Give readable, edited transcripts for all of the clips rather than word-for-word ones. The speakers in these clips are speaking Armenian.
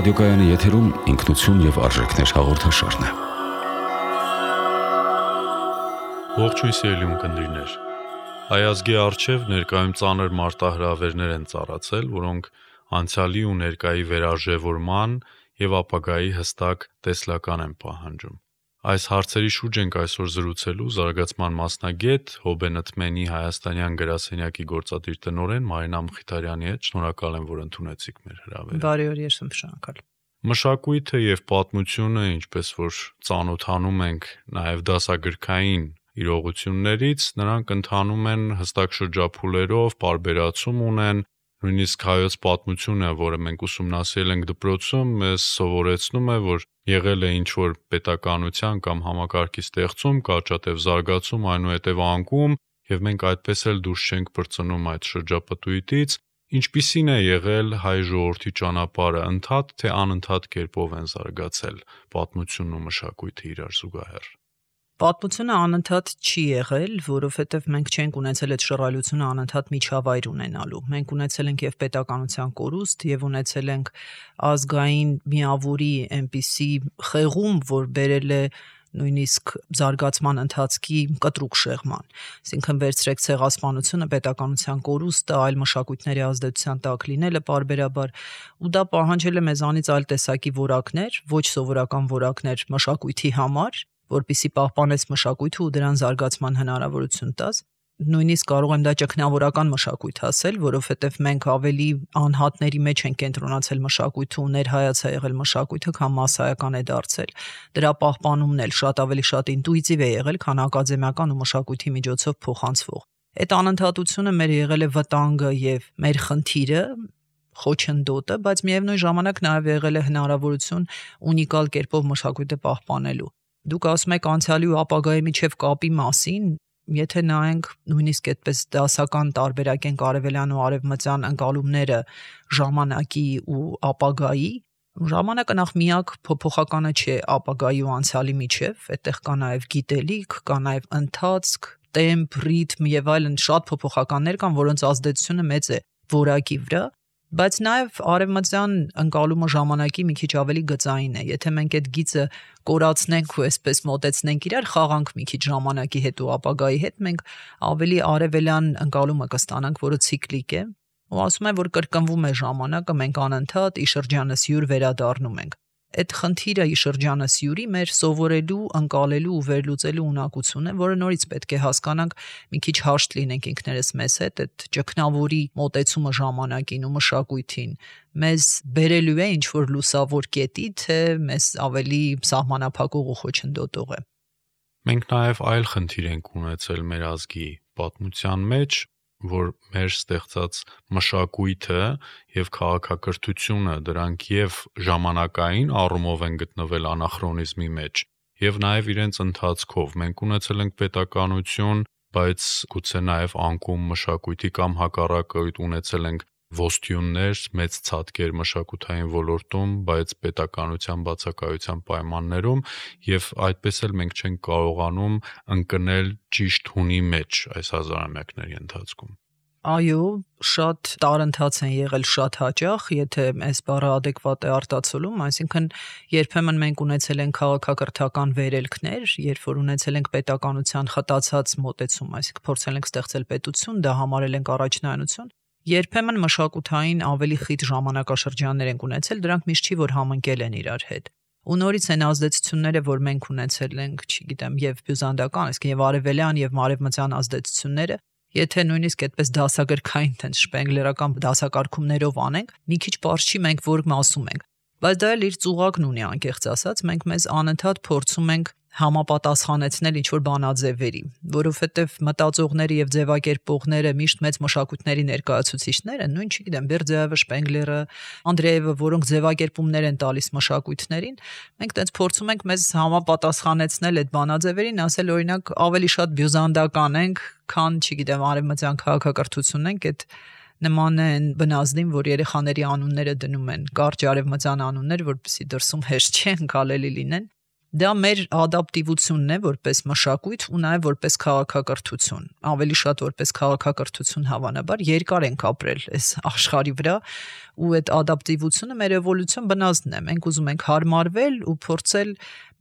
Ռադիոկայանի եթերում ինքնություն եւ արժեքներ հաղորդաշարն է։ Ողջույն սիրելի ունկնդիրներ։ Հայ ազգի առջև ներկայում ծանր մարտահրավերներ են ծառացել, որոնք անցյալի ու ներկայի վերարժևորման եւ ապագայի հստակ տեսլական են պահանջում։ Այս հարցերի շուրջ ենք այսօր զրուցելու զարգացման մասնագետ Հոբենտմենի հայաստանյան գրասենյակի գործադիր տնօրեն Մարինա Մխիթարյանի հետ։ Շնորհակալ եմ, որ ընդունեցիք մեր հրավերը։ Բարի օր, ես եմ շնորհակալ։ Մշակույթը եւ պատմությունը, ինչպես որ ծանոթանում ենք նաեւ դասագրքային իրողություններից, նրանք ընթանում են հստակ շրջափուլերով, պարբերացում ունեն, նույնիսկ հայոց պատմությունը, որը մենք ուսումնասիրել ենք դպրոցում, մեզ սովորեցնում է, որ եղել է ինչ-որ պետականության կամ համակարգի ստեղծում, կարճատև զարգացում, այնուհետև անկում, եւ մենք այդպես էլ դուրս չենք պրծնում այդ շրջապտույտից, ինչպիսին է եղել հայ ժողովրդի ճանապարհը, ընդհատ թե անընդհատ կերպով են զարգացել պատմությունն ու մշակույթը իրար զուգահեռ։ Պատմությունը անընդհատ չի եղել, որովհետև մենք չենք ունեցել այդ շռայլությունը անընդհատ միջավայր ունենալու։ Մենք ունեցել ենք եւ պետականության կորուստ, եւ ունեցել ենք ազգային միավորի այնպիսի խեղում, որ բերել է նույնիսկ զարգացման ընթացքի կտրուկ շեղման։ Այսինքն վերցրեք ցեղասպանությունը, պետականության կորուստը, այլ մշակույթների ազդեցության տակ լինելը պարբերաբար, ու դա պահանջել է մեզանից այլ տեսակի որակներ, ոչ սովորական որակներ մշակույթի համար, որպեսզի պահպանես մշակույթը ու դրան զարգացման հնարավորություն տաս։ Նույնիսկ կարող եմ դա ճգնավորական մշակույթ ասել, որովհետև մենք ավելի անհատների մեջ ենք կենտրոնացել մշակույթը ու ներհայաց է եղել մշակույթը, քան մասսայական է դարձել։ Դրա պահպանումն էլ շատ ավելի շատ ինտուիտիվ է եղել, քան ակադեմիական ու մշակույթի միջոցով փոխանցվող։ Այդ անընդհատությունը մեր եղել է վտանգը եւ մեր խնդիրը, խոչընդոտը, բայց միևնույն ժամանակ նաև եղել է հնարավորություն ունիկալ կերպով մշակույթը պահպանելու։ Դուք ասում եք անցյալի ու ապագայի միջև կապի մասին, եթե նայենք նույնիսկ այդպես դասական տարբերակենք արևելյան ու արևմտյան ընկալումները ժամանակի ու ապագայի, ժամանակը նախ միակ փոփոխականը չէ ապագայի ու անցյալի միջև, այդտեղ կա նաև գիտելիք, կա նաև ընթացք, տեմպ, ռիթմ եւ այլն շատ փոփոխականներ կան, որոնց ազդեցությունը մեծ է որակի վրա, բայց նաև արևմտյան ընկալումը ժամանակի մի քիչ ավելի գծային է։ Եթե մենք այդ գիծը կորացնենք ու այսպես մոտեցնենք իրար, խաղանք մի քիչ ժամանակի հետ ու ապագայի հետ, մենք ավելի արևելյան ընկալումը կստանանք, որը ցիկլիկ է, ու ասում են, որ կրկնվում է ժամանակը, մենք անընդհատ ի շրջանս յուր վերադառնում ենք։ Այդ խնդիրը ի շրջանս յուրի մեր սովորելու, ընկալելու ու վերլուծելու ունակություն է, որը նորից պետք է հասկանանք, մի քիչ հաշտ լինենք ինքներս մեզ հետ, այդ ճգնավորի մոտեցումը ժամանակին ու մշակույթին մեզ բերելու է ինչ-որ լուսավոր կետի, թե մեզ ավելի սահմանափակող ու խոչընդոտող է։ Մենք նաև այլ խնդիր ենք ունեցել մեր ազգի պատմության մեջ, որ մեր ստեղծած մշակույթը եւ քաղաքակրթությունը դրանք եւ ժամանակային առումով են գտնվել անախրոնիզմի մեջ եւ նաեւ իրենց ընթացքով մենք ունեցել ենք պետականություն, բայց գուցե նաեւ անկում մշակույթի կամ հակառակը ունեցել ենք ոստյուններ, մեծ ցածկեր մշակութային ոլորտում, բայց պետականության բացակայության պայմաններում եւ այդպես էլ մենք չենք կարողանում ընկնել ճիշտ հունի մեջ այս հազարամյակների ընթացքում։ Այո, շատ տարընթաց են եղել շատ հաճախ, եթե այս բառը adekvat է արտացոլում, այսինքն երբեմն մենք ունեցել ենք քաղաքակրթական վերելքներ, երբ որ ունեցել ենք պետականության խտացած մոտեցում, այսինքն փորձել ենք ստեղծել պետություն, դա համարել ենք առաջնայնություն, երբեմն մշակութային ավելի խիտ ժամանակաշրջաններ ենք ունեցել, դրանք միշտ չի որ համընկել են իրար հետ։ Ու նորից այն ազդեցությունները, որ մենք ունեցել ենք, չգիտեմ, եւ բյուզանդական, այսինքն եւ արևելյան եւ մարևմտյան ազդեցությունները, եթե նույնիսկ այդպես դասագրքային տենց շպենգլերական դասակարգումներով անենք, մի քիչ պարզ չի մենք որ մասում ենք։ Բայց դա էլ իր ծուղակն ունի անկեղծ ասած, մենք մեզ անընդհատ փորձում ենք համապատասխանեցնել ինչ-որ բանաձևերի, որովհետև մտածողները եւ ձևակերպողները միշտ մեծ մշակույթների ներկայացուցիչները, նույն չգիտեմ, Բերձեևը, Շպենգլերը, Անդրեևը, որոնք ձևակերպումներ են տալիս մշակույթներին, մենք տենց փորձում ենք մեզ համապատասխանեցնել այդ բանաձևերին, ասել օրինակ ավելի շատ բյուզանդական ենք, քան, չգիտեմ, արևմտյան քաղաքակրթությունն ենք, այդ նման է այն բնազդին, որ երեխաների անունները դնում են, կարճ արևմտյան անուններ, որպեսզի դրսում հեշտ չի ընկալելի լինեն։ Դա մեր ադապտիվությունն է որպես մշակույթ ու նաև որպես քաղաքակրթություն։ Ավելի շատ որպես քաղաքակրթություն հավանաբար երկար ենք ապրել այս աշխարհի վրա ու այդ ադապտիվությունը մեր էվոլյուցիոն բնազդն է։ Մենք ուզում ենք հարմարվել ու փորձել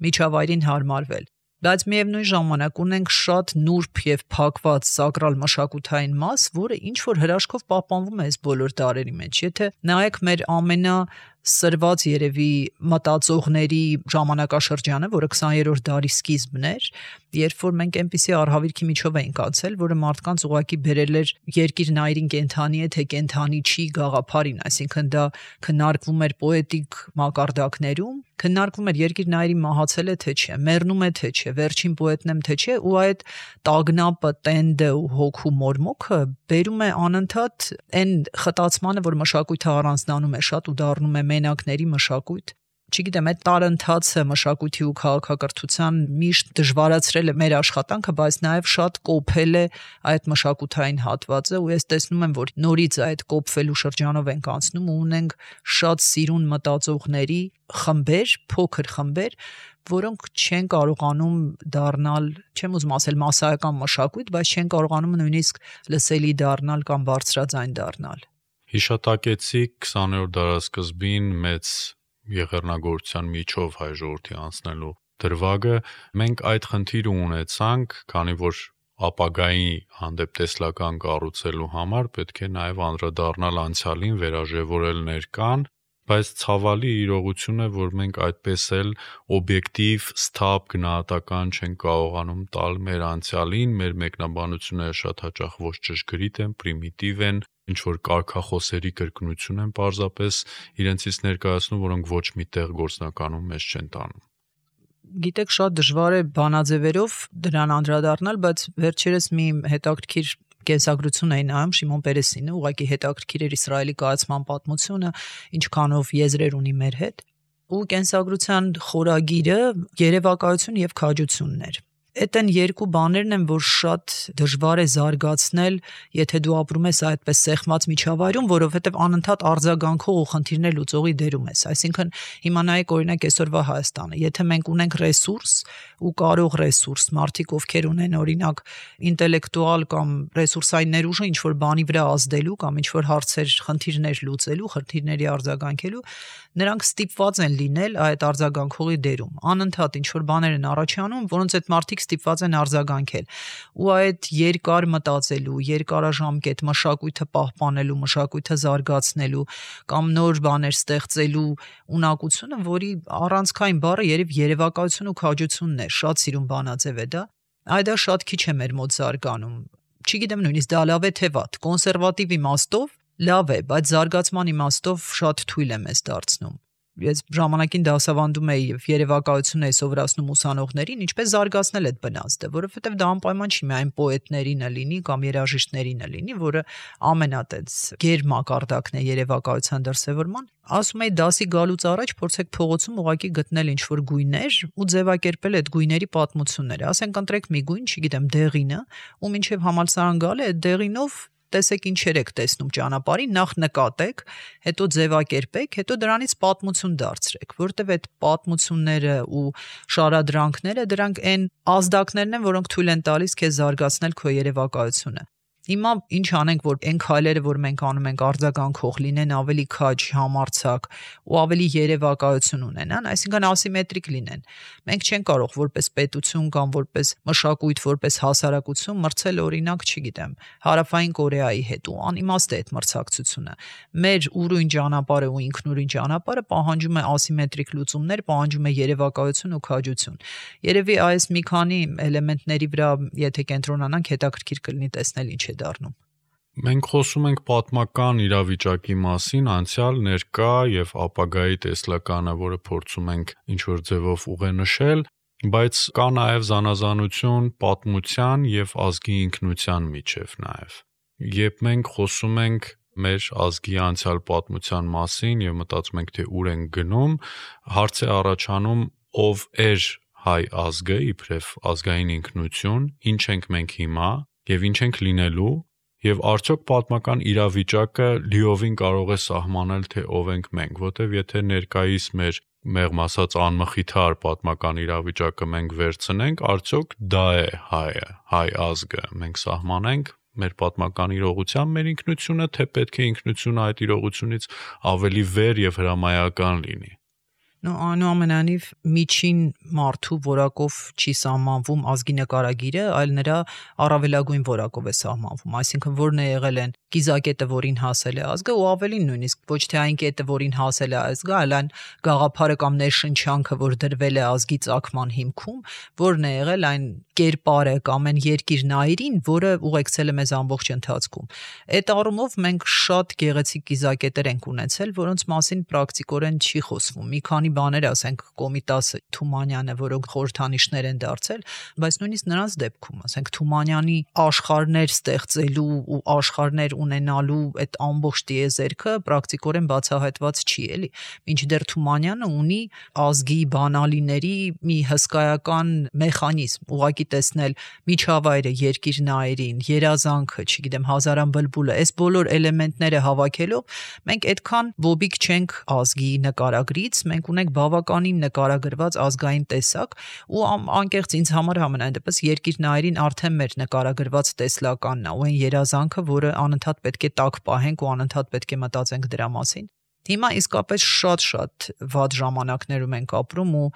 միջավայրին հարմարվել։ Բայց միևնույն ժամանակ ունենք շատ նուրբ եւ փակված սակրալ մշակութային մաս, որը ինչ որ հրաշքով պահպանվում է այս բոլոր դարերի մեջ։ Եթե նայեք մեր ամենասրված երևի մտածողների ժամանակաշրջանը, որը 20-րդ դարի սկիզբն էր, երբ որ մենք այնպիսի արհավիրքի միջով էինք անցել, որը մարդկանց ուղղակի բերել էր երկիրնայրին կենթանի է, թե կենթանի չի գաղափարին, այսինքն դա քննարկվում էր պոետիկ մակարդակներում, քննարկվում էր երկիրնայրի մահացել է թե չէ, մեռնում է թե չէ, վերջին պոետն եմ թե չէ, ու այդ տագնապը, տենդը ու հոգու մորմոքը բերում է անընդհատ այն խտացմանը, որ մշակույթը առանձնանում է շատ ու դառնում է մենակների մշակույթ։ Չգիտեմ, այդ տարընթացը մշակույթի ու քաղաքակրթության միշտ դժվարացրել է մեր աշխատանքը, բայց նաև շատ կոփել է այդ մշակութային հատվածը, ու ես տեսնում եմ, որ նորից այդ կոփվելու շրջանով ենք անցնում ու ունենք շատ սիրուն մտածողների խմբեր, փոքր խմբեր, որոնք չեն կարողանում դառնալ, չեմ ուզում ասել մասսայական մշակույթ, բայց չեն կարողանում նույնիսկ լսելի դառնալ կամ բարձրաձայն դառնալ։ Հիշատակեցիք 20-րդ դարասկզբին մեծ եղեռնագործության միջով հայ ժողովրդի անցնելու դրվագը, մենք այդ խնդիրը ունեցանք, քանի որ ապագայի հանդեպ տեսլական կառուցելու համար պետք է նաև անդրադառնալ անցյալին, վերաժևորել ներկան, բայց ցավալի իրողություն է, որ մենք այդպես էլ օբյեկտիվ, սթափ գնահատական չենք կարողանում տալ մեր անցյալին, մեր մեկնաբանությունները շատ հաճախ ոչ ճշգրիտ են, պրիմիտիվ են, ինչ որ կարգախոսերի կրկնություն են պարզապես իրենցից ներկայացնում, որոնք ոչ միտեղ գործնականում մեզ չեն տանում։ Գիտեք, շատ դժվար է բանաձևերով դրան անդրադառնալ, բայց վերջերս մի հետաքրքիր կենսագրություն էին նայում Շիմոն Պերեսինը, ուղղակի հետաքրքիր էր Իսրայելի կայացման պատմությունը, ինչքանով եզրեր ունի մեր հետ, ու կենսագրության խորագիրը երևակայություն եւ քաջությունն էր։ Այդ են երկու բաներն են, որ շատ դժվար է զարգացնել, եթե դու ապրում ես այդպես սեղմած միջավայրում, որովհետև անընդհատ արձագանքող ու խնդիրներ լուծողի դերում ես։ Այսինքն հիմա նայեք օրինակ այսօրվա Հայաստանը, եթե մենք ունենք ռեսուրս ու կարող ռեսուրս, մարդիկ ովքեր ունեն օրինակ ինտելեկտուալ կամ ռեսուրսային ներուժը ինչ որ բանի վրա ազդելու կամ ինչ որ հարցեր, խնդիրներ լուծելու, խնդիրների արձագանքելու, նրանք ստիպված են լինել այդ արձագանքողի դերում։ Անընդհատ ինչ որ բաներ են առաջանում, որոնց այդ մարդիկ ստիպված են արձագանքել, ու այդ երկար մտածելու, երկարաժամկետ մշակույթը պահպանելու, մշակույթը զարգացնելու կամ նոր բաներ ստեղծելու ունակությունը, որի առանցքային բառը երևակայություն ու քաջությունն է, շատ սիրուն բանաձև է դա, այդ շատ քիչ է մեր մոտ զարգանում։ Չգիտեմ նույնիսկ դա լավ է թե վատ, կոնսերվատիվ իմաստով լավ է, բայց զարգացման իմաստով շատ թույլ է մեզ դարձնում։ Ես ժամանակին դասավանդում էի եւ երևակայություն էի սովորացնում ուսանողներին, ինչպես զարգացնել այդ բնազդը, որովհետեւ դա անպայման չի միայն պոետներին է լինի կամ երաժիշտներին է լինի, որը ամենատենց գերմակարդակն է երևակայության դրսևորման։ Ասում էի դասի գալուց առաջ փորձեք փողոցում ուղակի գտնել ինչ-որ գույներ ու ձևակերպել այդ գույների պատմությունները։ Ասենք ընտրեք մի գույն, չգիտեմ, դեղինը, ու մինչև համալսարան գալը այդ դեղինով տեսեք ինչեր եք տեսնում ճանապարհին, նախ նկատեք, հետո ձևակերպեք, հետո դրանից պատմություն դարձրեք, որտեվ այդ պատմությունները ու շարադրանքները դրանք այն ազդակներն են, որոնք թույլ են տալիս քեզ զարգացնել քո երևակայությունը։ Հիմա ինչ անենք, որ այն քայլերը, որ մենք անում ենք, արձագանքող լինեն, ավելի քաջ, համարձակ ու ավելի երևակայություն ունենան, այսինքն ասիմետրիկ լինեն։ Մենք չենք կարող որպես պետություն կամ որպես մշակույթ, որպես հասարակություն մրցել օրինակ, չգիտեմ, Հարավային Կորեայի հետ, ու անիմաստ է այդ մրցակցությունը։ Մեր ուրույն ճանապարհը ու ինքնուրույն ճանապարհը պահանջում է ասիմետրիկ լուծումներ, պահանջում է երևակայություն ու քաջություն։ Երևի այս մի քանի էլեմենտների վրա, եթե կենտրոնանանք, հետաքրքիր կլինի տեսնել ինչ է դառնում։ Մենք խոսում ենք պատմական իրավիճակի մասին, անցյալ, ներկա եւ ապագայի տեսլականը, որը փորձում ենք ինչ-որ ձևով ուղենշել, բայց կա նաեւ զանազանություն պատմության եւ ազգի ինքնության միջեւ նաեւ։ Երբ մենք խոսում ենք մեր ազգի անցյալ պատմության մասին եւ մտածում ենք, թե ուր ենք գնում, հարց է առաջանում, ով էր հայ ազգը, իբրև ազգային ինքնություն, ինչ ենք մենք հիմա եւ ինչ ենք լինելու, եւ արդյոք պատմական իրավիճակը լիովին կարող է սահմանել, թե ով ենք մենք, որտեվ եթե ներկայիս մեր մեղմ ասած անմխիթար պատմական իրավիճակը մենք վերցնենք, արդյոք դա է հայը, հայ ազգը, մենք սահմանենք մեր պատմական իրողությամբ մեր ինքնությունը, թե պետք է ինքնությունը այդ իրողությունից ավելի վեր եւ հրամայական լինի։ Այնուամենայնիվ միջին մարդու որակով չի սահմանվում ազգի նկարագիրը, այլ նրա առավելագույն որակով է սահմանվում, այսինքն որն է եղել են կիզակետը, որին հասել է ազգը, ու ավելին նույնիսկ ոչ թե այն կետը, որին հասել է ազգը, այլ այն գաղափարը կամ ներշնչանքը, որ դրվել է ազգի ծագման հիմքում, որն է եղել այն կերպարը կամ այն երկիրնայրին, որը ուղեկցել է մեզ ամբողջ ընթացքում։ Այդ առումով մենք շատ գեղեցիկ կիզակետեր ենք ունեցել, որոնց մասին պրակտիկորեն չի խոսվում։ Մի քանի բաներ, ասենք Կոմիտասը, Թումանյանը, որոնք խորհրդանիշներ են դարձել, բայց նույնիսկ նրանց դեպքում, ասենք Թումանյանի աշխարհներ ստեղծելու ու աշխարհներ ունենալու այդ ամբողջ տիեզերքը պրակտիկորեն բացահայտված չի, էլի։ Մինչդեռ Թումանյանը ունի ազգի բանալիների մի հսկայական մեխանիզմ, ուղղակի տեսնել միջավայրը, երկիրնայրին, երազանքը, չգիտեմ, հազարան բլբուլը, այս բոլոր էլեմենտները հավաքելով մենք այդքան ոբիկ չենք ազգի նկարագրից, մենք ունենք բավականին նկարագրված ազգային տեսակ ու անկեղծ ինձ համար համենայն դեպս երկիրնայրին արդեն մեր նկարագրված տեսլականն է ու այն երազանքը, որը անընդհատ պետք է տակ պահենք ու անընդհատ պետք է մտածենք դրա մասին։ Հիմա իսկապես շատ վատ ժամանակներում ենք ապրում ու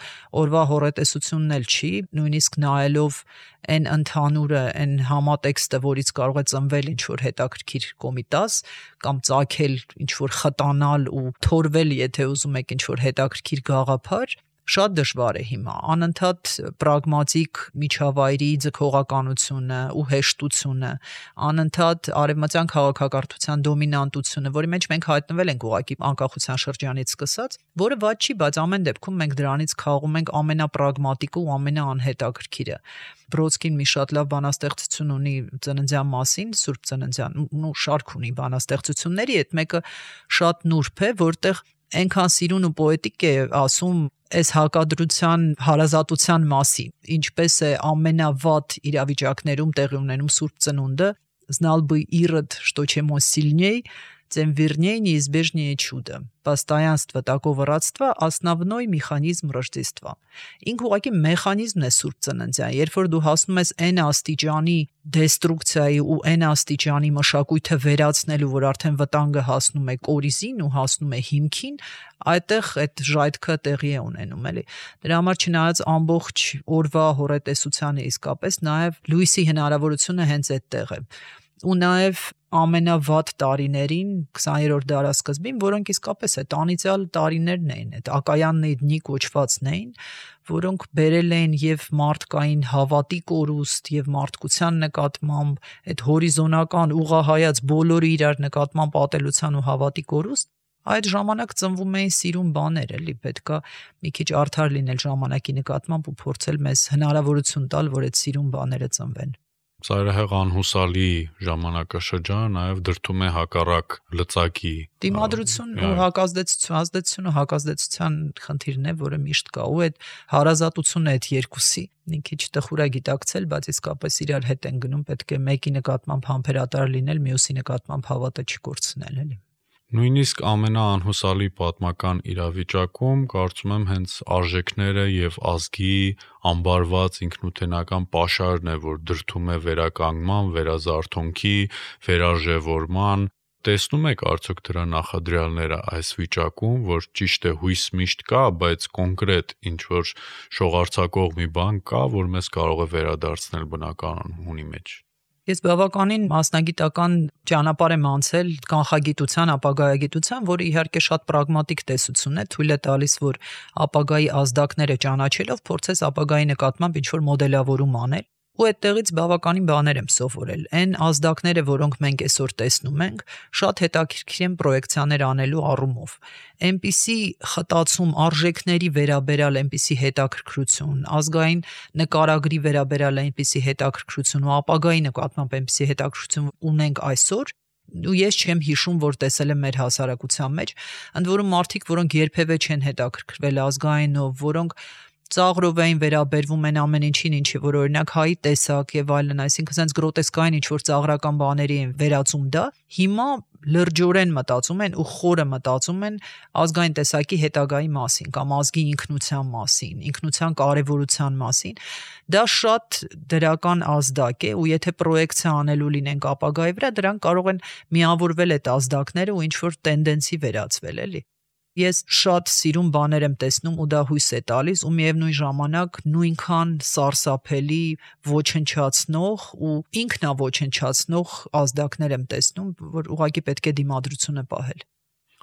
օրվա հոռետեսությունն էլ չի, նույնիսկ նայելով այն ընդհանուրը, այն համատեքստը, որից կարող է ծնվել ինչ-որ հետաքրքիր կոմիտաս կամ ծագել ինչ-որ խտանալ ու թորվել, եթե ուզում եք ինչ-որ հետաքրքիր գաղափար, շատ դժվար է հիմա, անընդհատ պրագմատիկ միջավայրի ձգողականությունը ու հեշտությունը, անընդհատ արևմտյան քաղաքակրթության դոմինանտությունը, որի մեջ մենք հայտնվել ենք ուղղակի անկախության շրջանից սկսած, որը վատ չի, բայց ամեն դեպքում մենք դրանից քաղում ենք ամենապրագմատիկը ու ամենաանհետաքրքիրը։ Բրոդսկին մի շատ լավ բանաստեղծություն ունի ծննդյան մասին, Սուրբ Ծննդյան, ու շարք ունի բանաստեղծությունների, այդ մեկը շատ նուրբ է, որտեղ այնքան սիրուն ու պոետիկ է ասում այս հակադրության հարազատության մասին, ինչպես է ամենավատ իրավիճակներում տեղի ունենում Սուրբ Ծնունդը, знал бы Ирод, что чем он сильней, тем вернее неизбежнее чудо. Постоянство такого родства – основной механизм Рождества. Ինքը ուղղակի մեխանիզմն է Սուրբ Ծննդյան, երբ որ դու հասնում ես այն աստիճանի դեստրուկցիայի ու այն աստիճանի մշակույթը վերացնելու, որ արդեն վտանգը հասնում է կորիզին ու հասնում է հիմքին, այդտեղ այդ ժայթքը տեղի է ունենում, էլի։ Դրա համար չնայած ամբողջ օրվա հոռետեսությանը իսկապես նաև լույսի հնարավորությունը հենց այդտեղ է։ Ու նաև ամենավատ տարիներին 20-րդ դարասկզբին, որոնք իսկապես այդ անիծյալ տարիներն էին, այդ ակայանների դնի կոչվածն էին, որոնք բերել էին եւ մարդկային հավատի կորուստ եւ մարդկության նկատմամբ այդ հորիզոնական ուղղահայաց բոլորի իրար նկատմամբ ատելության ու հավատի կորուստ, այդ ժամանակ ծնվում էին սիրուն բաներ, էլի պետքա մի քիչ արդար լինել ժամանակի նկատմամբ ու փորձել մեզ հնարավորություն տալ, որ այդ սիրուն բաները ծնվեն։ Ծայրահեղ անհուսալի ժամանակաշրջանը նաև դրդում է հակառակ լծակի դիմադրություն ու հակազդեցություն ու հակազդեցության խնդիրն է, որը միշտ կա ու այդ հարազատությունը այդ երկուսի մի քիչ տխուր է գիտակցել, բայց իսկապես իրար հետ են գնում, պետք է մեկի նկատմամբ համբերատար լինել, մյուսի նկատմամբ հավատը չկորցնել, էլի։ Նույնիսկ ամենաանհուսալի պատմական իրավիճակում կարծում եմ հենց արժեքները եւ ազգի ամբարված ինքնութենական պաշարն է, որ դրդում է վերականգնման, վերազարթոնքի, վերարժևորման։ Տեսնում եք արդյոք դրա նախադրյալները այս վիճակում, որ ճիշտ է հույս միշտ կա, բայց կոնկրետ ինչ որ շողարցակող մի բան կա, որ մեզ կարող է վերադարձնել բնական հունի մեջ։ Ես բավականին մասնագիտական ճանապարհ եմ անցել կանխագիտության, ապագայագիտության, որը իհարկե շատ պրագմատիկ տեսություն է, թույլ է տալիս, որ ապագայի ազդակները ճանաչելով փորձես ապագայի նկատմամբ ինչ-որ մոդելավորում անել, ու այդտեղից բավականին բաներ եմ սովորել։ Այն ազդակները, որոնք մենք այսօր տեսնում ենք, շատ հետաքրքիր են պրոյեկցիաներ անելու առումով։ Այնպիսի խտացում արժեքների վերաբերյալ այնպիսի հետաքրքրություն, ազգային նկարագրի վերաբերյալ այնպիսի հետաքրքրություն ու ապագայի նկատմամբ այնպիսի հետաքրքրություն ունենք այսօր, ու ես չեմ հիշում, որ տեսել եմ մեր հասարակության մեջ, ընդ որում մարդիկ, որոնք երբևէ չեն հետաքրքրվել ազգայինով, որոնք ծաղրով էին վերաբերվում այն ամեն ինչին, ինչի որ օրինակ հայի տեսակ եւ այլն, այսինքն sense գրոտեսկային ինչ որ ծաղրական բաների են վերածում դա, հիմա լրջորեն մտածում են ու խորը մտածում են ազգային տեսակի հետագայի մասին կամ ազգի ինքնության մասին, ինքնության կարևորության մասին, դա շատ դրական ազդակ է ու եթե պրոյեկցիա անելու լինենք ապագայի վրա, դրանք կարող են միավորվել այդ ազդակները ու ինչ որ տենդենսի վերածվել, էլի։ Ես շատ սիրուն բաներ եմ տեսնում ու դա հույս է տալիս ու միևնույն ժամանակ նույնքան սարսափելի ոչնչացնող ու ինքնաոչնչացնող ազդակներ եմ տեսնում, որ ուղղակի պետք է դիմադրությունը պահել։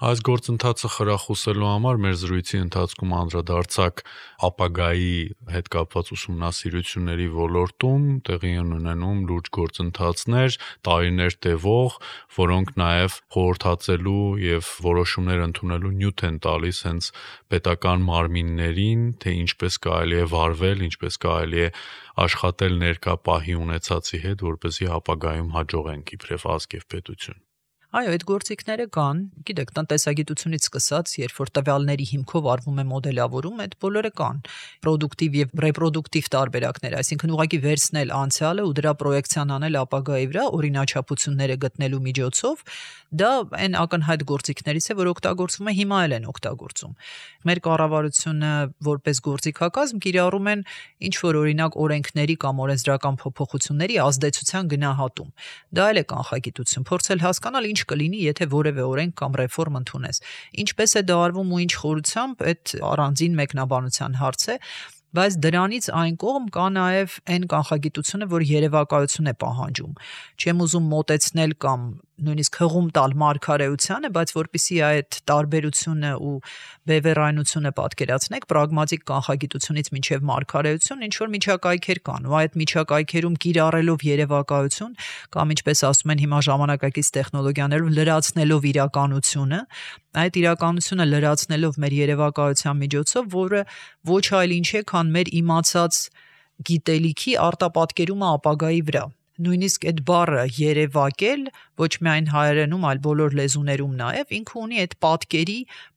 Այս գործընթացը խրախուսելու համար մեր զրույցի ընթացքում անդրադարձակ ապագայի հետ կապված ուսումնասիրությունների ոլորտում տեղի են ունենում լուրջ գործընթացներ, տարիներ տևող, որոնք նաև խորհրդածելու եւ որոշումներ ընդունելու նյութ են տալիս հենց պետական մարմիններին, թե ինչպես կարելի է վարվել, ինչպես կարելի է աշխատել ներկա պահի ունեցածի հետ, որպեսզի ապագայում հաջողենք իբրև ազգ եւ պետություն։ Այո, այդ գործիքները կան, գիտեք, տնտեսագիտությունից սկսած, երբ որ տվյալների հիմքով արվում է մոդելավորում, այդ բոլորը կան։ Պրոդուկտիվ եւ ռեպրոդուկտիվ տարբերակներ, այսինքն ուղղակի վերցնել անցյալը ու դրա պրոյեկցիան անել ապագայի վրա, օրինաչափությունները գտնելու միջոցով, դա այն ակնհայտ գործիքներից է, որ օգտագործվում է հիմա էլ են օգտագործում։ Մեր կառավարությունը որպես գործիքակազմ կիրառում են ինչ որ օրինակ օրենքների կամ օրենսդրական փոփոխությունների ազդեցության գնահատում։ Դա էլ է կանխագիտություն, փորձել հասկանալ ինչ կլինի, եթե որևէ օրենք կամ ռեֆորմ ընդունես։ Ինչպես է դա արվում ու ինչ խորությամբ, այդ առանձին մեկնաբանության հարց է, բայց դրանից այն կողմ կա նաև այն կանխագիտությունը, որ երևակայություն է պահանջում։ Չեմ ուզում մոտեցնել կամ նույնիսկ հղում տալ մարգարեությանը, բայց որpիսի այդ տարբերությունը ու բևեռայնությունը պատկերացնեք, պրագմատիկ կանխագիտությունից մինչև մարգարեություն ինչ որ միջակայքեր կան, ու այդ միջակայքերում կիրառելով երևակայություն կամ ինչպես ասում են հիմա ժամանակակից տեխնոլոգիաներով լրացնելով իրականությունը, այդ իրականությունը լրացնելով մեր երևակայության միջոցով, որը ոչ այլ ինչ է, քան մեր իմացած գիտելիքի արտապատկերումը ապագայի վրա։ Նույնիսկ այդ բառը երևակել ոչ միայն հայերենում, այլ բոլոր լեզուներում նաև ինքը ունի այդ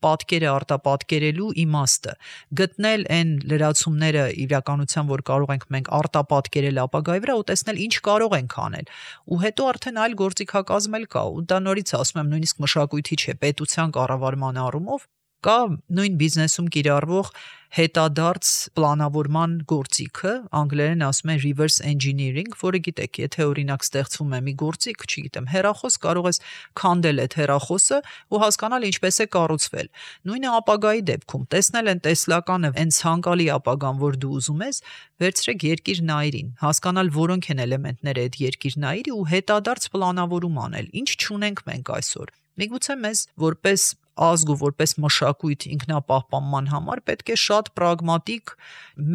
պատկերը արտապատկերելու իմաստը, գտնել այն լրացումները իրականության, որ կարող ենք մենք արտապատկերել ապագայի վրա ու տեսնել ինչ կարող ենք անել։ Ու հետո արդեն այլ գործիքակազմ էլ կա, ու դա նորից ասում եմ, նույնիսկ մշակույթի չէ, պետության կառավարման առումով կա նույն բիզնեսում կիրառվող հետադարձ պլանավորման գործիքը, անգլերեն ասում են reverse engineering, որը գիտեք, եթե օրինակ ստեղծվում է մի գործիք, չգիտեմ, հեռախոս, կարող ես քանդել այդ հեռախոսը ու հասկանալ ինչպես է կառուցվել։ Նույնը ապագայի դեպքում, տեսնել են տեսլականը, այն ցանկալի ապագան, որ դու ուզում ես, վերցրեք երկիր նայրին, հասկանալ որոնք են էլեմենտները այդ երկիր նայրի ու հետադարձ պլանավորում անել։ Ինչ չունենք մենք այսօր։ Միգուցե մեզ որպես ազգ ու որպես մշակույթ ինքնապահպանման համար պետք է շատ պրագմատիկ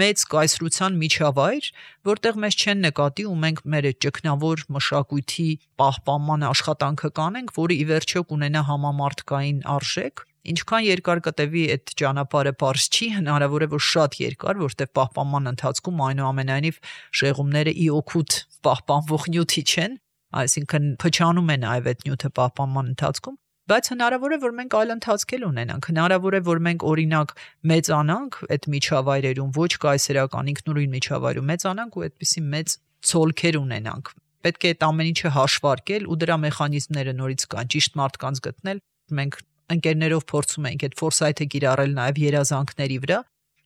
մեծ կայսրության միջավայր, որտեղ մեզ չեն նկատի ու մենք մեր այդ ճգնավոր մշակույթի պահպանման աշխատանքը կանենք, որը ի վերջո կունենա համամարտկային արժեք։ Ինչքան երկար կտևի այդ ճանապարհը բարձ չի, հնարավոր է որ շատ երկար, որտեղ պահպանման ընթացքում այնուամենայնիվ շեղումները ի օգուտ պահպանվող նյութի չեն, այսինքն փչանում է նաև այդ նյութը պահպանման ընթացքում, բայց հնարավոր է որ մենք այլ ընթացքել ունենանք, հնարավոր է որ մենք օրինակ մեծանանք այդ միջավայրերում, ոչ կայսերական ինքնուրույն միջավայրում մեծանանք ու այդպիսի մեծ ցոլքեր ունենանք։ Պետք է այդ ամեն ինչը հաշվարկել ու դրա մեխանիզմները նորից կան, ճիշտ մարդկանց գտնել։ Մենք ընկերներով փորձում ենք այդ ֆորսայթը կիրառել նաև երազանքների վրա։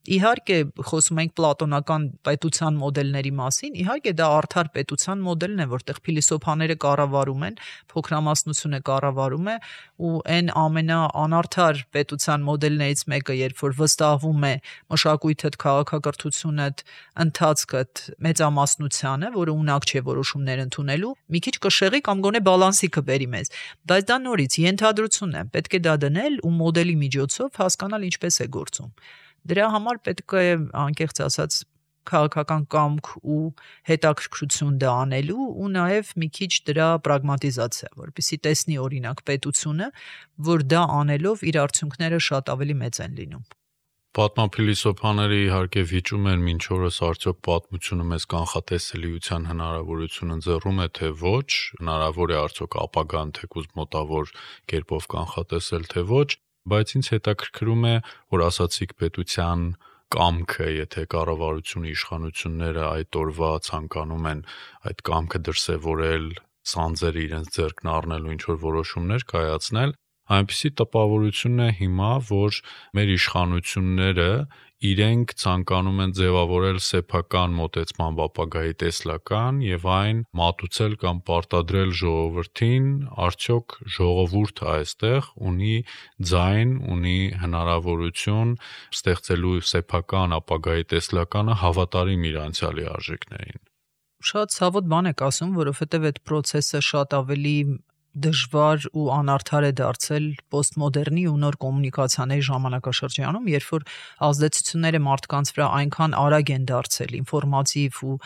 Իհարկե, խոսում ենք պլատոնական պետության մոդելների մասին, իհարկե դա արդար պետության մոդելն է, որտեղ փիլիսոփաները կառավարում են, փոքրամասնությունը կառավարում է, ու այն ամենաանարդար պետության մոդելներից մեկը, երբ որ վստահվում է մշակույթդ, քաղաքակրթությունդ, ընթացքդ մեծամասնությանը, որը ունակ չէ որոշումներ ընդունելու, մի քիչ կշեղի կամ գոնե բալանսի կբերի մեզ, բայց դա նորից ենթադրություն է, պետք է դա դնել ու մոդելի միջոցով հասկանալ ինչպես է գործում։ Դրա համար պետք է անկեղծ ասած քաղաքական կամք ու հետաքրքրություն դա անելու ու նաև մի քիչ դրա պրագմատիզացիա, որպեսզի տեսնի օրինակ պետությունը, որ դա անելով իր արդյունքները շատ ավելի մեծ են լինում։ Պատմափիլիսոփաները իհարկե վիճում են մինչ օրս արդյոք պատմությունը մեզ կանխատեսելիության հնարավորություն ընձեռում է թե ոչ, հնարավոր է արդյոք ապագան թեկուզ մոտավոր կերպով կանխատեսել թե ոչ, բայց ինձ հետաքրքրում է, որ ասացիք պետության կամքը, եթե կառավարությունը, իշխանությունները այդ օրվա ցանկանում են այդ կամքը դրսևորել, սանձերը իրենց ձեռքն առնելու ինչ-որ որոշումներ կայացնել, այնպիսի տպավորություն է հիմա, որ մեր իշխանությունները իրենք ցանկանում են ձևավորել սեփական մոտեցման ապագայի տեսլական եւ այն մատուցել կամ պարտադրել ժողովրդին, արդյոք ժողովուրդը այստեղ ունի ձայն, ունի հնարավորություն ստեղծելու սեփական ապագայի տեսլականը հավատարիմ իր անցյալի արժեքներին։ Շատ ցավոտ բան եք ասում, որովհետև այդ process-ը շատ ավելի դժվար ու անարդար է դարձել պոստմոդեռնի ու նոր կոմունիկացիաների ժամանակաշրջանում, երբ որ ազդեցությունները մարդկանց վրա այնքան արագ են դարձել, ինֆորմատիվ ու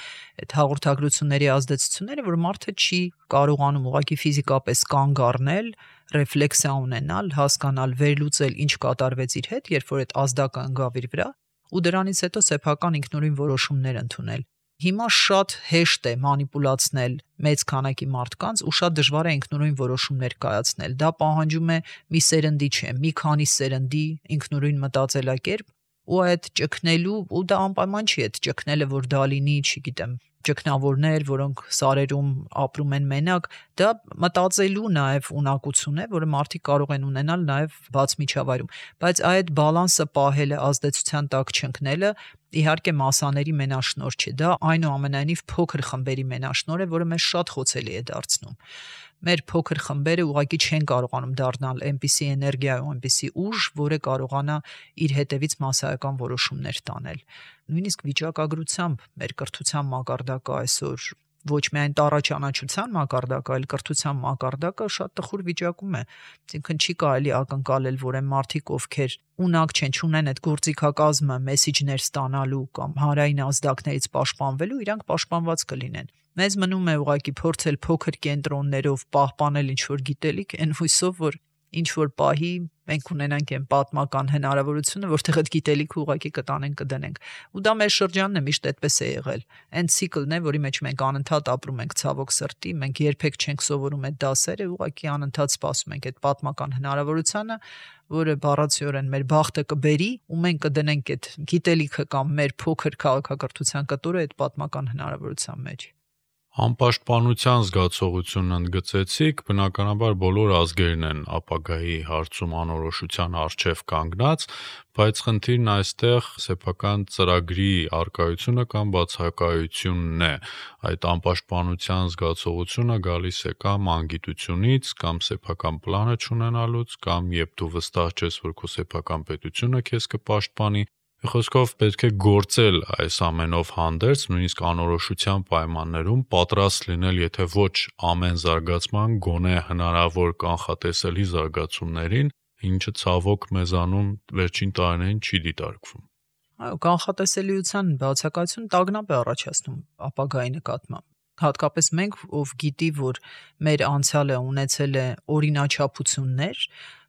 այդ հաղորդագրությունների ազդեցությունները, որ մարդը չի կարողանում ուղղակի ֆիզիկապես կանգ առնել, ռեֆլեքսիա ունենալ, հասկանալ, վերլուծել, ինչ կատարվեց իր հետ, երբ որ այդ ազդակը ընկավ իր վրա, ու դրանից հետո սեփական ինքնուրույն որոշումներ ընդունել։ Հիմա շատ հեշտ է մանիպուլացնել մեծ քանակի մարդկանց ու շատ դժվար է ինքնուրույն որոշումներ կայացնել։ Դա պահանջում է մի սերնդի չէ, մի քանի սերնդի ինքնուրույն մտածելակերպ ու այդ ճգնելու, ու դա անպայման չի այդ ճգնելը, որ դա լինի, չգիտեմ, ճգնավորներ, որոնք սարերում ապրում են մենակ, դա մտածելու նաև ունակություն է, որը մարդիկ կարող են ունենալ նաև բաց միջավայրում, բայց այդ բալանսը պահելը, ազդեցության տակ չընկնելը իհարկե մասաների մենաշնոր չէ, դա այնուամենայնիվ փոքր խմբերի մենաշնոր է, որը մեզ շատ խոցելի է դարձնում։ Մեր փոքր խմբերը ուղղակի չեն կարողանում դառնալ այնպիսի էներգիա ու այնպիսի ուժ, որը կարողանա իր հետևից մասսայական որոշումներ տանել։ Նույնիսկ վիճակագրությամբ մեր կրթության մակարդակը այսօր ոչ միայն տառաճանաչության մակարդակը, այլ կրթության մակարդակը շատ տխուր վիճակում է։ Այսինքն չի կարելի ակնկալել, որ այն մարդիկ, ովքեր ունակ չեն, չունեն այդ գործիքակազմը մեսիջներ ստանալու կամ հանրային ազդակներից պաշտպանվելու, իրանք պաշտպանված կլինեն։ Մեզ մնում է ուղղակի փորձել փոքր կենտրոններով պահպանել ինչ-որ գիտելիք, այն հույսով, որ ինչ-որ պահի մենք ունենանք այն պատմական հնարավորությունը, որտեղ այդ գիտելիքը ուղղակի կտանենք, կդնենք։ Ու դա մեր շրջանն է, միշտ այդպես է եղել։ Այն ցիկլն է, որի մեջ մենք անընդհատ ապրում ենք, ցավոք սրտի, մենք երբեք չենք սովորում այդ դասերը, ուղղակի անընդհատ սպասում ենք այդ պատմական հնարավորությունը, որը բառացիորեն մեր բախտը կբերի, ու մենք կդնենք այդ գիտելիքը կամ մեր փոքր քաղաքակրթության կտորը այդ պատմական հնարավորության մեջ։ Անպաշտպանության զգացողությունն ընդգծեցիք, բնականաբար բոլոր ազգերն են ապագայի հարցում անորոշության առջև կանգնած, բայց խնդիրն այստեղ սեփական ծրագրի առկայությունը կամ բացակայությունն է։ Այդ անպաշտպանության զգացողությունը գալիս է կամ անգիտությունից, կամ սեփական պլանը չունենալուց, կամ երբ դու վստահ չես, որ քո սեփական պետությունը քեզ կպաշտպանի։ Խոսքով պետք է գործել այս ամենով հանդերձ, նույնիսկ անորոշության պայմաններում պատրաստ լինել, եթե ոչ ամեն զարգացման, գոնե հնարավոր կանխատեսելի զարգացումներին, ինչը ցավոք մեզանում վերջին տարիներին չի դիտարկվում։ Այո, կանխատեսելիության բացակայությունը տագնապ է առաջացնում ապագայի նկատմամբ։ Հատկապես մենք, ով գիտի, որ մեր անցյալը ունեցել է օրինաչափություններ,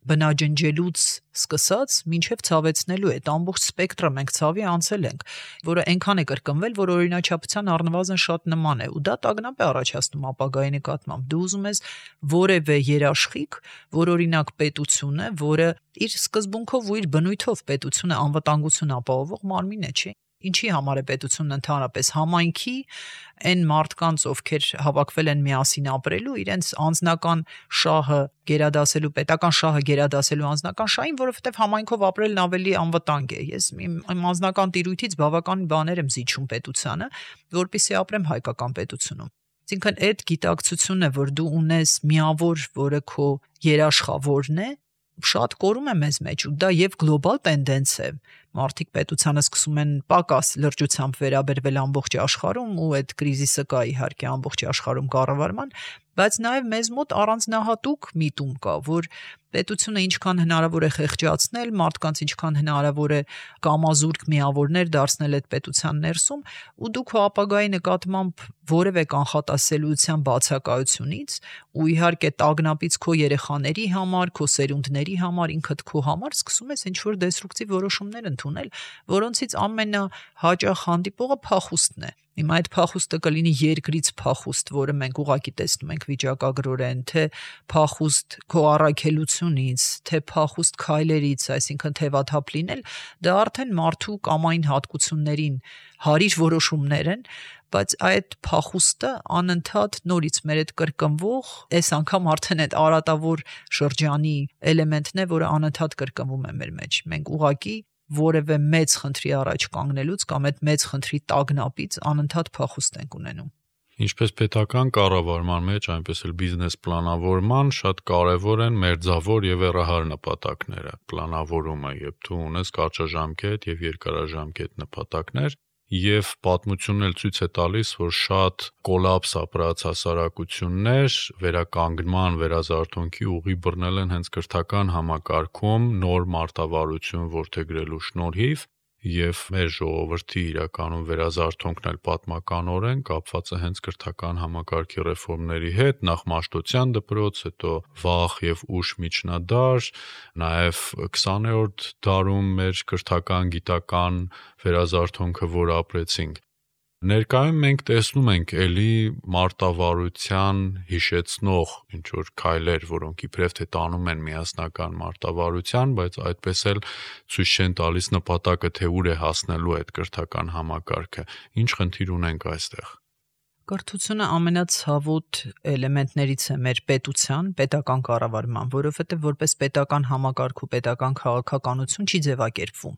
բնաջնջելուց սկսած մինչև ցավեցնելու այդ ամբողջ սպեկտրը մենք ցավի անցել ենք, որը այնքան է կրկնվել, որ օրինաչափության առնվազն շատ նման է, ու դա տագնապ է առաջացնում ապագայի նկատմամբ։ Դու ուզում ես որևէ երաշխիք, որ օրինակ պետությունը, որը իր սկզբունքով ու իր բնույթով պետությունը անվտանգություն ապահովող մարմին է, չի։ Ինչի համար է պետությունն ընդհանրապես համայնքի այն մարդկանց, ովքեր հավաքվել են միասին ապրելու, իրենց անձնական շահը գերադասելու, պետական շահը գերադասելու անձնական շահին, որովհետև համայնքով ապրելն ավելի անվտանգ է։ Ես իմ անձնական տիրույթից բավական բաներ եմ զիջում պետությանը, որպեսզի ապրեմ հայկական պետությունում։ Այսինքն այդ գիտակցությունը, որ դու ունես միավոր, որը քո երաշխավորն է, շատ կորում է մեզ մեջ, ու դա եւ գլոբալ տենդենս է։ Մարդիկ պետությանը սկսում են պակաս լրջությամբ վերաբերվել ամբողջ աշխարհում, ու այդ կրիզիսը կա իհարկե ամբողջ աշխարհում կառավարման, բայց նաև մեզ մոտ առանձնահատուկ միտում կա, որ պետությունը ինչքան հնարավոր է խեղճացնել, մարդկանց ինչքան հնարավոր է կամազուրկ միավորներ դարձնել այդ պետության ներսում, ու դու քո ապագայի նկատմամբ որևէ կանխատեսելիության բացակայությունից ու իհարկե տագնապից քո երեխաների համար, քո սերունդների համար, ինքդ քո համար սկսում ես ինչ-որ դեստրուկտիվ որոշումներ ընդունել, որոնցից ամենահաճախ հանդիպողը փախուստն է։ Հիմա այդ փախուստը կլինի երկրից փախուստ, որը մենք ուղղակի տեսնում ենք վիճակագրորեն, թե փախուստ քո առաքելությունից, թե փախուստ քայլերից, այսինքն թևաթափ լինել, դա արդեն մարդու կամային հատկություններին հարիր որոշումներ են, բայց այդ փախուստը անընդհատ նորից մեր այդ կրկնվող, այս անգամ արդեն այդ արատավոր շրջանի էլեմենտն է, որը անընդհատ կրկնվում է մեր մեջ։ Մենք ուղղակի որևէ մեծ խնդրի առաջ կանգնելուց կամ այդ մեծ խնդրի տագնապից անընդհատ փախուստ ենք ունենում։ Ինչպես պետական կառավարման մեջ, այնպես էլ բիզնես պլանավորման շատ կարևոր են մերձավոր եւ հեռահար նպատակները։ Պլանավորումը, երբ դու ունես կարճաժամկետ եւ երկարաժամկետ նպատակներ, եւ պատմությունն էլ ցույց է տալիս, որ շատ կոլապս ապրած հասարակություններ վերականգնման, վերազարթոնքի ուղի բռնել են հենց կրթական համակարգում նոր մարտավարություն որդեգրելու շնորհիվ, եւ մեր ժողովրդի իրականում վերազարթոնքն էլ պատմականորեն կապված է հենց կրթական համակարգի ռեֆորմների հետ, նախ Մաշտոցյան դպրոց, հետո վաղ եւ ուշ միջնադար, նաեւ 20-րդ դարում մեր կրթական գիտական վերազարթոնքը, որ ապրեցինք։ Ներկայում մենք տեսնում ենք էլի մարտավարության հիշեցնող ինչ որ քայլեր, որոնք իբրև թե տանում են միասնական մարտավարության, բայց այդպես էլ ցույց չեն տալիս նպատակը, թե ուր է հասնելու այդ կրթական համակարգը։ Ինչ խնդիր ունենք այստեղ։ Կրթությունը ամենացավոտ էլեմենտներից է մեր պետական կառավարման, որովհետև որպես պետական համակարգ ու պետական քաղաքականություն չի ձևակերպվում։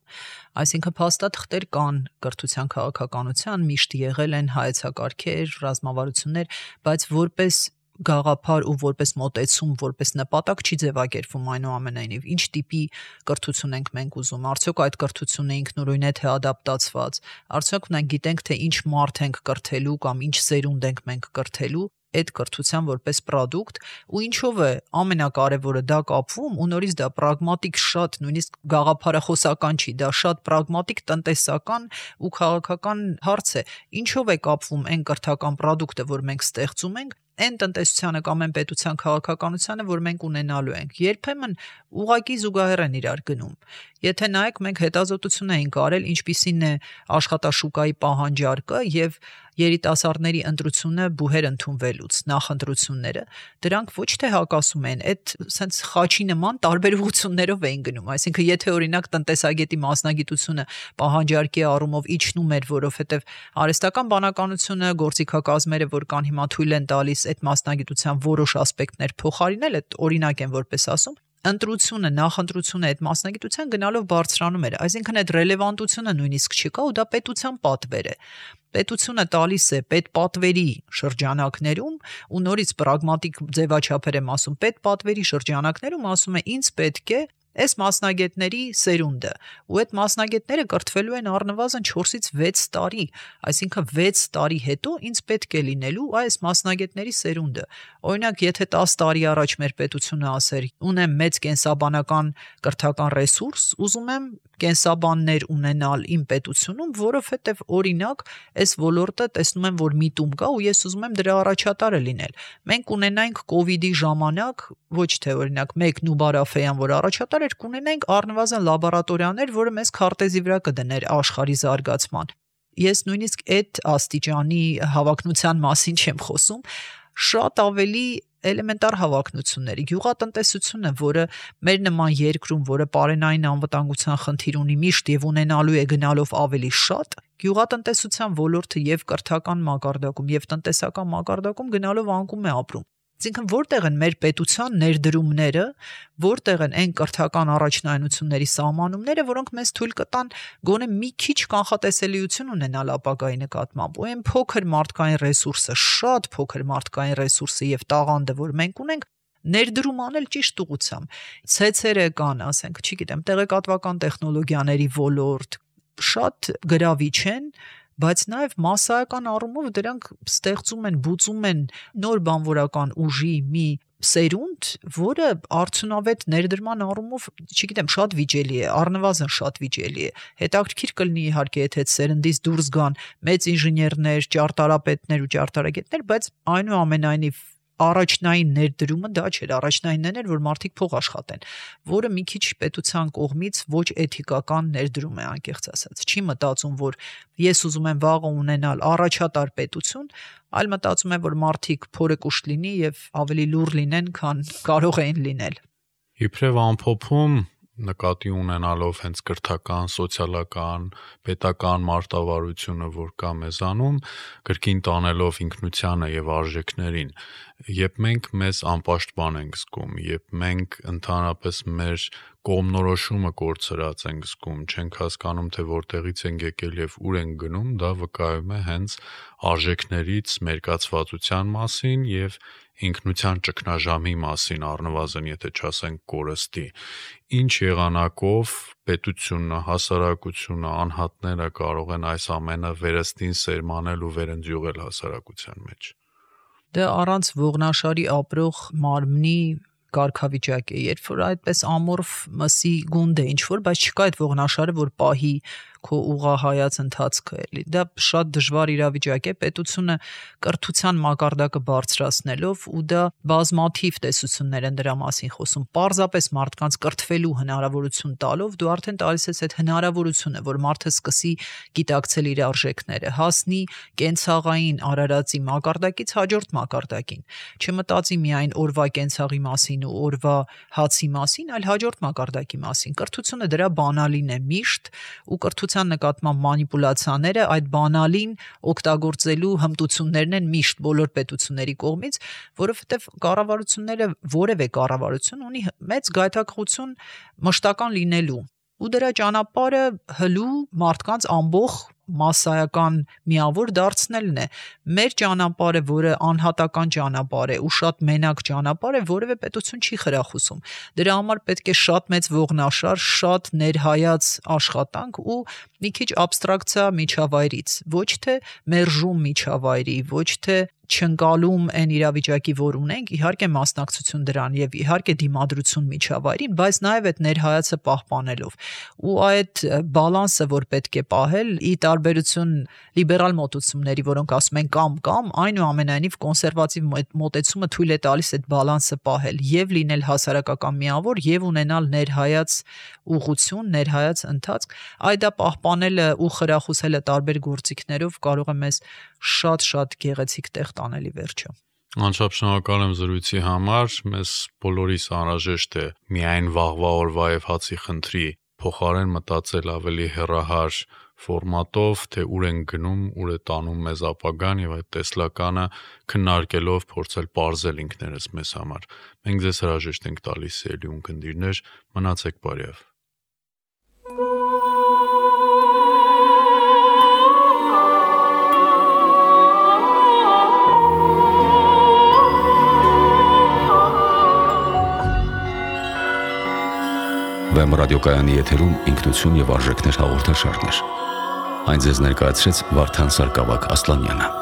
Այսինքն փաստաթղթեր կան կրթության քաղաքականության, միշտ եղել են հայեցակարգեր, ռազմավարություններ, բայց որպես գաղափար ու որպես մոտեցում, որպես նպատակ չի ձևակերպվում այնուամենայնիվ։ Ինչ տիպի կրթություն ենք մենք ուզում։ Արդյոք այդ կրթությունը ինքնուրույն է թե ադապտացված։ Արդյոք մենք գիտենք թե ինչ մարդ ենք կրթելու կամ ինչ սերունդ ենք մենք կրթելու այդ կրթության որպես պրոդուկտ ու ինչով է ամենակարևորը դա կապվում ու նորից դա պրագմատիկ շատ նույնիսկ գաղափարախոսական չի, դա շատ պրագմատիկ տնտեսական ու քաղաքական հարց է։ Ինչով է կապվում այն կրթական պրոդուկտը, որ մենք ստեղծում ենք, այն տնտեսությանը կամ այն պետության քաղաքականությանը, որ մենք ունենալու ենք։ Երբեմն ուղղակի զուգահեռ են իրար գնում։ Եթե նայեք, մենք հետազոտություն ենք արել, ինչպիսին է աշխատաշուկայի պահանջարկը եւ երիտասարդների ընտրությունը բուհեր ընդունվելուց, նախընտրությունները, դրանք ոչ թե հակասում են, այդ սենց խաչի նման տարբեր ուղղություններով էին գնում։ Այսինքն, եթե օրինակ տնտեսագետի մասնագիտությունը պահանջարկի առումով իջնում էր, որովհետև արհեստական բանականությունը, գործիքակազմերը, որ կան հիմա թույլ են տալիս այդ մասնագիտության որոշ ասպեկտներ փոխարինել, այդ օրինակ են որպես ասում, ընտրությունը, նախընտրությունը այդ մասնագիտության գնալով բարձրանում էր։ Այսինքն այդ ռելևանտությունը նույնիսկ չկա ու դա պետության պատվեր է։ Պետությունը տալիս է պետպատվերի շրջանակներում ու նորից պրագմատիկ ձևաչափեր եմ ասում, պետպատվերի շրջանակներում ասում է ինձ պետք է այս մասնագետների սերունդը ու այդ մասնագետները կրթվելու են առնվազն 4-ից 6 տարի, այսինքն 6 տարի հետո ինձ պետք է լինելու այս մասնագետների սերունդը։ Օրինակ, եթե 10 տարի առաջ մեր պետությունը ասեր, ունեմ մեծ կենսաբանական կրթական ռեսուրս, ուզում եմ կենսաբաններ ունենալ իմ պետությունում, որովհետև օրինակ այս ոլորտը տեսնում եմ, որ միտում կա ու ես ուզում եմ դրա առաջատարը լինել։ Մենք ունենայինք կովիդի ժամանակ, ոչ թե օրինակ մեկ Նուբար Աֆեյան, որ առաջատար էր, կունենայինք առնվազն լաբորատորիաներ, որը մեզ քարտեզի վրա կդներ աշխարհի զարգացման։ Ես նույնիսկ այդ աստիճանի հավակնության մասին չեմ խոսում, շատ ավելի էլեմենտար հավակնությունների, գյուղատնտեսությունը, որը մեր նման երկրում, որը պարենային անվտանգության խնդիր ունի միշտ եւ ունենալու է գնալով ավելի շատ, գյուղատնտեսության ոլորտը եւ կրթական մակարդակում եւ տնտեսական մակարդակում գնալով անկում է ապրում։ Այսինքն որտեղ են մեր պետության ներդրումները, որտեղ են այն կրթական առաջնայնությունների սահմանումները, որոնք մեզ թույլ կտան գոնե մի քիչ կանխատեսելիություն ունենալ ապագայի նկատմամբ։ Ու այն փոքր մարդկային ռեսուրսը, շատ փոքր մարդկային ռեսուրսը եւ տաղանդը, որ մենք ունենք, ներդրում անել ճիշտ ուղղությամբ։ Ցեցերը կան, ասենք, չգիտեմ, տեղեկատվական տեխնոլոգիաների ոլորտ, շատ գրավիչ են, բայց նաև մասսայական առումով դրանք ստեղծում են, բուծում են նոր բանվորական ուժի մի սերունդ, որը արդյունավետ ներդրման առումով, չգիտեմ, շատ վիճելի է, առնվազն շատ վիճելի է։ Հետաքրքիր կլինի իհարկե, եթե այդ սերնդից դուրս գան մեծ ինժեներներ, ճարտարապետներ ու ճարտարագետներ, բայց այնուամենայնիվ առաջնային ներդրումը դա չէր, առաջնայինն էր, որ մարդիկ փող աշխատեն, որը մի քիչ պետության կողմից ոչ էթիկական ներդրում է, անկեղծ ասած։ Չի մտածում, որ ես ուզում եմ վաղը ունենալ առաջատար պետություն, այլ մտածում եմ, որ մարդիկ փորը կուշտ լինի եւ ավելի լուր լինեն, քան կարող էին լինել։ Իբրև ամփոփում նկատի ունենալով հենց կրթական, սոցիալական, պետական մարտավարությունը, որ կա մեզանում, կրկին տանելով ինքնությանը եւ արժեքներին, երբ մենք մեզ անպաշտպան ենք զգում, երբ մենք ընդհանրապես մեր կողմնորոշումը կորցրած ենք զգում, չենք հասկանում, թե որտեղից ենք եկել եւ ուր ենք գնում, դա վկայում է հենց արժեքներից մերկացվածության մասին եւ ինքնության ճգնաժամի մասին, առնվազն եթե չասենք կորստի։ Ինչ եղանակով պետությունը, հասարակությունը, անհատները կարող են այս ամենը վերստին սերմանել ու վերընձյուղել հասարակության մեջ։ Դա առանց ողնաշարի ապրող մարմնի կարգավիճակ է, երբ որ այդպես ամորֆ մսի գունդ է ինչ-որ, բայց չկա այդ ողնաշարը, որ պահի քո ուղղահայաց ընթացքը էլի։ Դա շատ դժվար իրավիճակ է, պետությունը կրթության մակարդակը բարձրացնելով ու դա բազմաթիվ տեսություններ են դրա մասին խոսում, պարզապես մարդկանց կրթվելու հնարավորություն տալով դու արդեն տալիս ես այդ հնարավորությունը, որ մարդը սկսի գիտակցել իր արժեքները, հասնի կենցաղային արարածի մակարդակից հաջորդ մակարդակին, չմտածի միայն օրվա կենցաղի մասին ու օրվա հացի մասին, այլ հաջորդ մակարդակի մասին։ Կրթությունը դրա բանալին է միշտ ու կրթության նկատմամբ մանիպուլյացիաները այդ բանալին օգտագործելու հմտություններն են միշտ բոլոր պետությունների կողմից, որովհետև կառավարությունները որևէ կառավարություն ունի մեծ գայթակղություն մշտական լինելու ու դրա ճանապարհը հլու մարդկանց ամբողջ մասսայական միավոր դարձնելն է։ Մեր ճանապարհը, որը անհատական ճանապարհ է ու շատ մենակ ճանապարհ է, որևէ պետություն չի խրախուսում։ Դրա համար պետք է շատ մեծ ողնաշար, շատ ներհայաց աշխատանք ու մի քիչ աբստրակցիա միջավայրից, ոչ թե մերժում միջավայրի, ոչ թե չընկալում այն իրավիճակի, որ ունենք, իհարկե մասնակցություն դրան եւ իհարկե դիմադրություն միջավայրին, բայց նաեւ այդ ներհայացը պահպանելով։ Ու այդ բալանսը, որ պետք է պահել, ի տարբերություն լիբերալ մոտեցումների, որոնք ասում են կամ, այնուամենայնիվ կոնսերվատիվ մոտեցումը թույլ է տալիս այդ բալանսը պահել եւ լինել հասարակական միավոր եւ ունենալ ներհայաց ուղղություն, ներհայաց ընթացք, այդ դա պահպանելը ու խրախուսելը տարբեր գործիքներով կարող է մեզ շատ գեղեցիկ տեղ տանել ի վերջո։ Անչափ շնորհակալ եմ զրույցի համար, մեզ բոլորիս անհրաժեշտ է միայն վաղվա օրվա եւ հացի խնդրի փոխարեն մտածել ավելի հեռահար ֆորմատով, թե ուր են գնում, ուր է տանում մեզ ապագան եւ այդ տեսլականը քննարկելով փորձել պարզել ինքներս մեզ համար։ Մենք ձեզ հրաժեշտ ենք տալիս սիրելի ունկնդիրներ, մնացեք բարյավ։ Վեմ ռադիոկայանի եթերում ինքնություն եւ արժեքներ հաղորդաշարներ։ Այն ձեզ ներկայացրեց Վարդան Սարգսակ Ասլանյանը։